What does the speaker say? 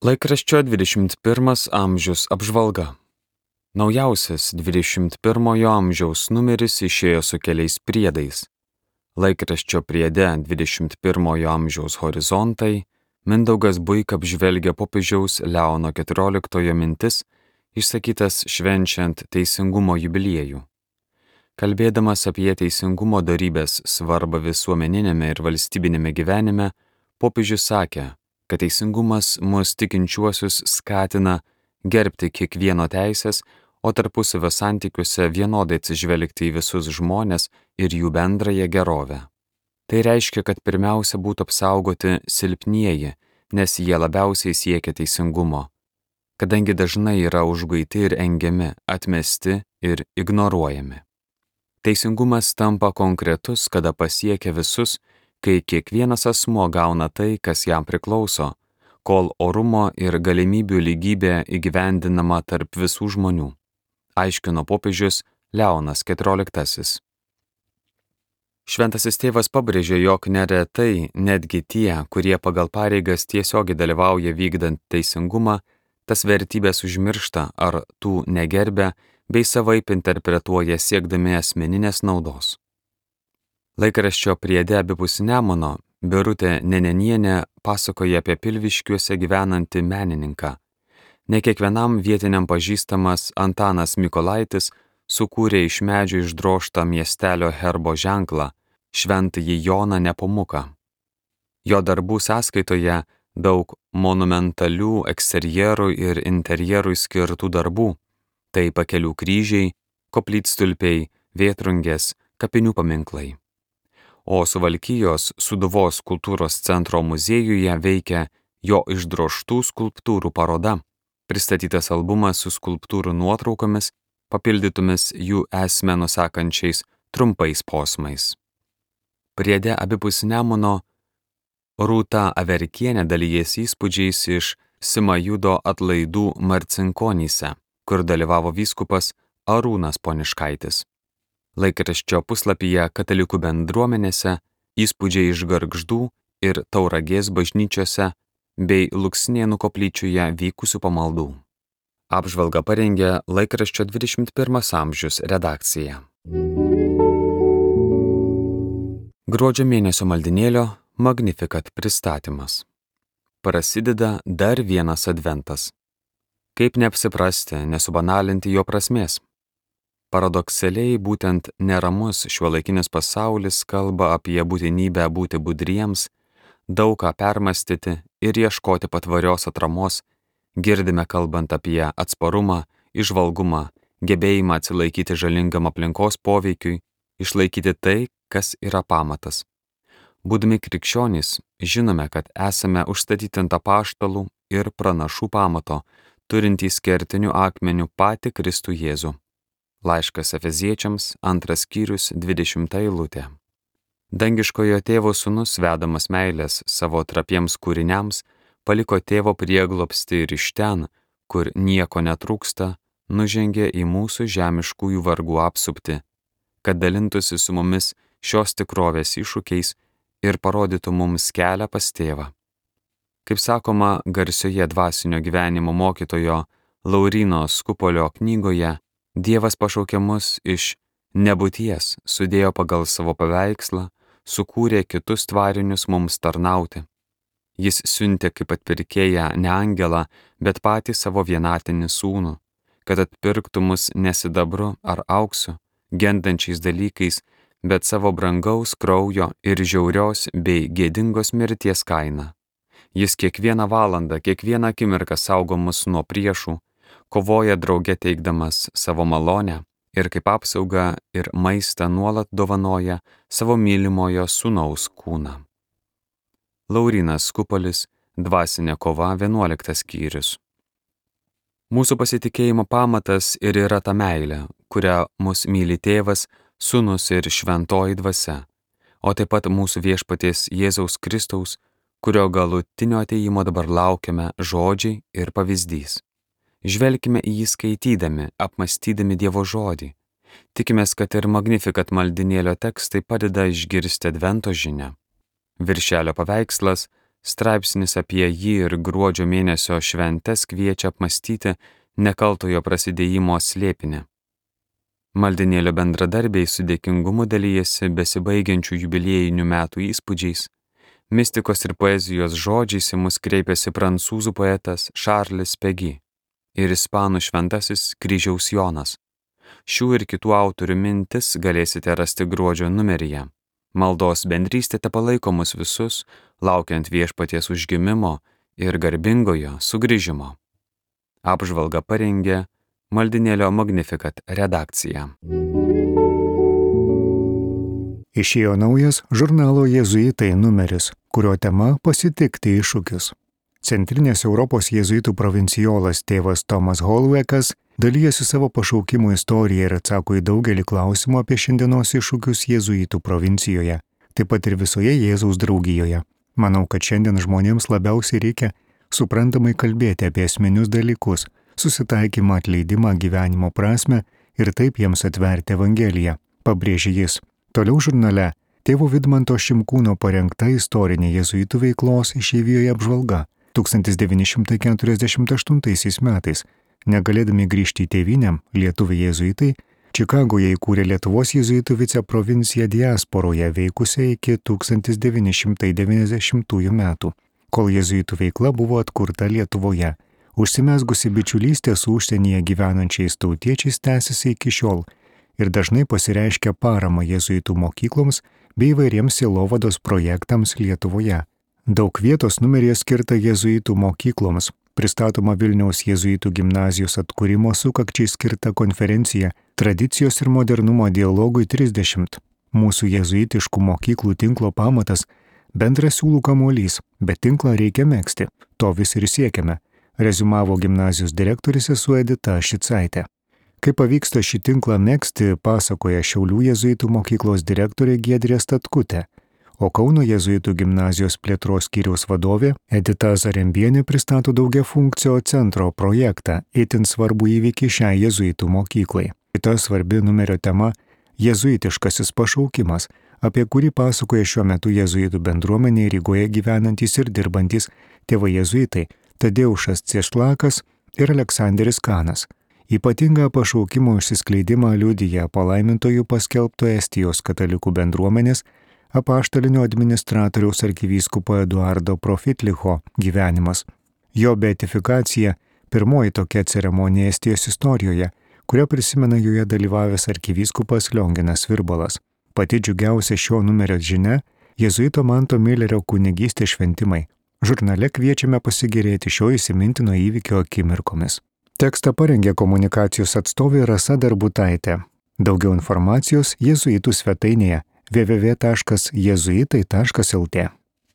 Laikraščio 21 amžius apžvalga. Naujausias 21 amžiaus numeris išėjo su keliais priedais. Laikraščio priede 21 amžiaus horizontai Mindaugas Buika apžvelgia popiežiaus Leono XIV mintis, išsakytas švenčiant teisingumo jubiliejų. Kalbėdamas apie teisingumo dorybės svarbą visuomeninėme ir valstybinėme gyvenime, popiežius sakė, kad teisingumas mus tikinčiuosius skatina gerbti kiekvieno teisės, o tarpusavio santykiuose vienodai atsižvelgti į visus žmones ir jų bendrąją gerovę. Tai reiškia, kad pirmiausia būtų apsaugoti silpnieji, nes jie labiausiai siekia teisingumo, kadangi dažnai yra užguiti ir engiami, atmesti ir ignoruojami. Teisingumas tampa konkretus, kada pasiekia visus, kai kiekvienas asmuo gauna tai, kas jam priklauso, kol orumo ir galimybių lygybė įgyvendinama tarp visų žmonių, aiškino popiežius Leonas XIV. Šventasis tėvas pabrėžė, jog neretai netgi tie, kurie pagal pareigas tiesiogiai dalyvauja vykdant teisingumą, tas vertybės užmiršta ar tų negerbia bei savaip interpretuoja siekdami asmeninės naudos. Laikraščio priede abipus Nemuno Birutė Nenenienė pasakoja apie Pilviškiuose gyvenantį menininką. Ne kiekvienam vietiniam pažįstamas Antanas Mykolaitis sukūrė iš medžio išdrožtą miestelio herbo ženklą Šventąjį Joną Nepomuką. Jo darbų sąskaitoje daug monumentalių eksterjerų ir interjerui skirtų darbų, tai pakelių kryžiai, koplytstulpiai, vėtrungės, kapinių paminklai. O Suvalkijos Sūduvos kultūros centro muziejuje veikia jo išdrožtų skulptūrų paroda, pristatytas albumas su skulptūrų nuotraukomis, papildytomis jų esmę nusakančiais trumpais posmais. Priede abipus Nemuno Rūta Averkienė dalijasi įspūdžiais iš Simajudo atlaidų Marcinkonyse, kur dalyvavo vyskupas Arūnas Poniškaitis. Laikraščio puslapyje katalikų bendruomenėse įspūdžiai iš Gargždų ir Tauragės bažnyčiose bei Luksnėnų koplyčioje vykusių pamaldų. Apžvalgą parengė laikraščio 21 amžius redakcija. Gruodžio mėnesio maldynėlio Magnificat pristatymas. Prasideda dar vienas adventas. Kaip neapsiprasti, nesubanalinti jo prasmės? Paradoksaliai, būtent neramus šiuolaikinis pasaulis kalba apie būtinybę būti budriems, daug ką permastyti ir ieškoti patvarios atramos. Girdime kalbant apie atsparumą, įžvalgumą, gebėjimą atsilaikyti žalingam aplinkos poveikiui, išlaikyti tai, kas yra pamatas. Būdami krikščionys, žinome, kad esame užstatyti ant apaštalų ir pranašų pamato, turintys kertinių akmenių patį Kristų Jėzų. Laiškas Efeziečiams, 2 skyrius, 20 eilutė. Dangiškojo tėvo sūnus, vedamas meilės savo trapiems kūriniams, paliko tėvo prieglobstį ir iš ten, kur nieko netrūksta, nužengė į mūsų žemiškųjų vargų apsuptį, kad dalintųsi su mumis šios tikrovės iššūkiais ir parodytų mums kelią pas tėvą. Kaip sakoma garsioje dvasinio gyvenimo mokytojo Lauryno Skupolio knygoje, Dievas pašaukė mus iš nebūties, sudėjo pagal savo paveikslą, sukūrė kitus tvarinius mums tarnauti. Jis siuntė kaip atpirkėją ne angelą, bet patį savo vienatinį sūnų, kad atpirktų mus ne sidabru ar auksu, gendančiais dalykais, bet savo brangaus kraujo ir žiaurios bei gėdingos mirties kaina. Jis kiekvieną valandą, kiekvieną akimirką saugo mus nuo priešų, kovoja drauge teikdamas savo malonę ir kaip apsaugą ir maistą nuolat dovanoja savo mylimojo sūnaus kūną. Laurynas Skupolis, Dvasinė kova, 11 skyrius. Mūsų pasitikėjimo pamatas ir yra ta meilė, kurią mus myli tėvas, sūnus ir šventoji dvasia, o taip pat mūsų viešpaties Jėzaus Kristaus, kurio galutinio atėjimo dabar laukiame žodžiai ir pavyzdys. Žvelkime į jį skaitydami, apmąstydami Dievo žodį. Tikimės, kad ir Magnificat maldynėlio tekstai padeda išgirsti advento žinią. Viršelio paveikslas Straipsnis apie jį ir gruodžio mėnesio šventes kviečia apmastyti nekaltojo prasidėjimo slėpinį. Maldinėlio bendradarbiai su dėkingumu dalyjasi besibaigiančių jubiliejinių metų įspūdžiais. Mistikos ir poezijos žodžiais į mus kreipiasi prancūzų poetas Charles Péguy ir ispanų šventasis Kryžiaus Jonas. Šių ir kitų autorių mintis galėsite rasti gruodžio numeryje. Maldos bendrystė tepalaiko mus visus, laukiant viešpaties užgimimo ir garbingojo sugrįžimo. Apžvalgą parengė Maldinėlio Magnificat redakcija. Išėjo naujas žurnalo Jėzuitai numeris, kurio tema pasitikti iššūkius. Centrinės Europos jėzuitų provincijolas tėvas Tomas Holwekas dalyjasi savo pašaukimo istoriją ir atsako į daugelį klausimų apie šiandienos iššūkius jėzuitų provincijoje, taip pat ir visoje Jėzaus draugijoje. Manau, kad šiandien žmonėms labiausiai reikia suprantamai kalbėti apie esminius dalykus, susitaikymą, atleidimą, gyvenimo prasmę ir taip jiems atverti Evangeliją, pabrėžė jis. Toliau žurnale tėvo Vidmanto Šimkūno parengta istorinė jėzuitų veiklos išeivijoje apžvalga 1948 metais. Negalėdami grįžti į tėvynę, lietuviai jėzuitai Čikagoje įkūrė Lietuvos jėzuitų viceprovinciją diasporoje veikusią iki 1990 metų, kol jėzuitų veikla buvo atkurta Lietuvoje. Užsimezgusi bičiulystė su užsienyje gyvenančiais tautiečiais tęsiasi iki šiol ir dažnai pasireiškia parama jėzuitų mokykloms bei įvairiems sielovados projektams Lietuvoje. Daug vietos numeryje skirta jėzuitų mokykloms, pristatoma Vilniaus jėzuitų gimnazijos atkūrimo sukakčiai skirta konferencija Tradicijos ir modernumo dialogui 30. Mūsų jėzuitiškų mokyklų tinklo pamatas bendras siūlų kamuolys, bet tinklą reikia megzti. To vis ir siekiame, reziumavo gimnazijos direktorė sesuo Edita Šicaitė. Kaip pavyksta šį tinklą megzti, pasakoja Šiaulių jėzuitų mokyklos direktorė Giedrė Statkutė, o Kauno jėzuitų gimnazijos plėtros skyriaus vadovė Edita Zarembienė pristato daugiafunkcio centro projektą, itin svarbų įvykį šiai jėzuitų mokyklai. Kita svarbi numerio tema – jėzuitiškasis pašaukimas, apie kurį pasakoja šiuo metu jėzuitų bendruomenė Rygoje gyvenantys ir dirbantys tėvai jėzuitai Tadeušas Ciešlakas ir Aleksanderis Kanas. Ypatingą pašaukimo išsiskleidimą liudija palaimintojų paskelbto Estijos katalikų bendruomenės apaštalinio administratoriaus arkivyskupo Eduardo Profitlicho gyvenimas. Jo beatifikacija – pirmoji tokia ceremonija Estijos istorijoje, kurią prisimena joje dalyvavęs arkivyskupas Lionginas Virbalas. Pati džiugiausia šio numerio žinia – jėzuito Manto Milerio kunigystės šventimai. Žurnale kviečiame pasigėrėti šio įsimintino įvykio akimirkomis. Tekstą parengė komunikacijos atstovė Rasa Darbutaitė. Daugiau informacijos jėzuitų svetainėje www.jėzuitai.lt.